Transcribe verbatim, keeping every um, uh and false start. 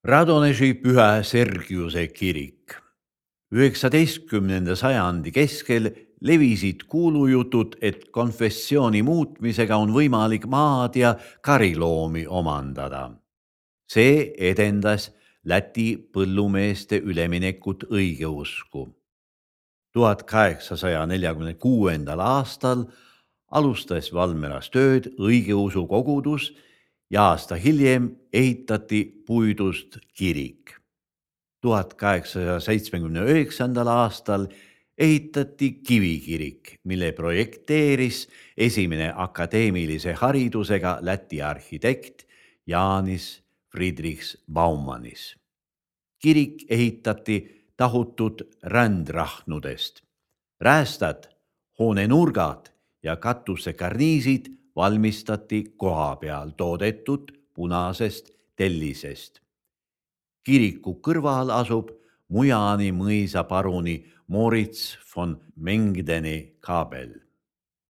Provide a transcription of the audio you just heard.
Radoneži Pühä Sergiuse kirik. üheksateistkümnenda sajandi keskel levisid kuulujutud, et konfessiooni muutmisega on võimalik maad ja kariloomi omandada. See edendas Läti põllumeeste üleminekut õigeusku. tuhat kaheksasaja neljakümne kuuendal aastal alustas Valmeras tööd õigeusu kogudus ja aasta hiljem ehitati puidust kirik. tuhat kaheksasaja seitsmekümne üheksandal aastal ehitati kivikirik, mille projekteeris esimene akadeemilise haridusega Läti arhitekt Jānis Friedrichs Baumanis. Kirik ehitati tahutud rändrahnudest. Räästad, hoonenurgad ja katusekarniisid valmistati koha peal toodetud punasest tellisest. Kiriku kõrval asub Mujani mõisa paruni Moritz von Mengdeni kaabel.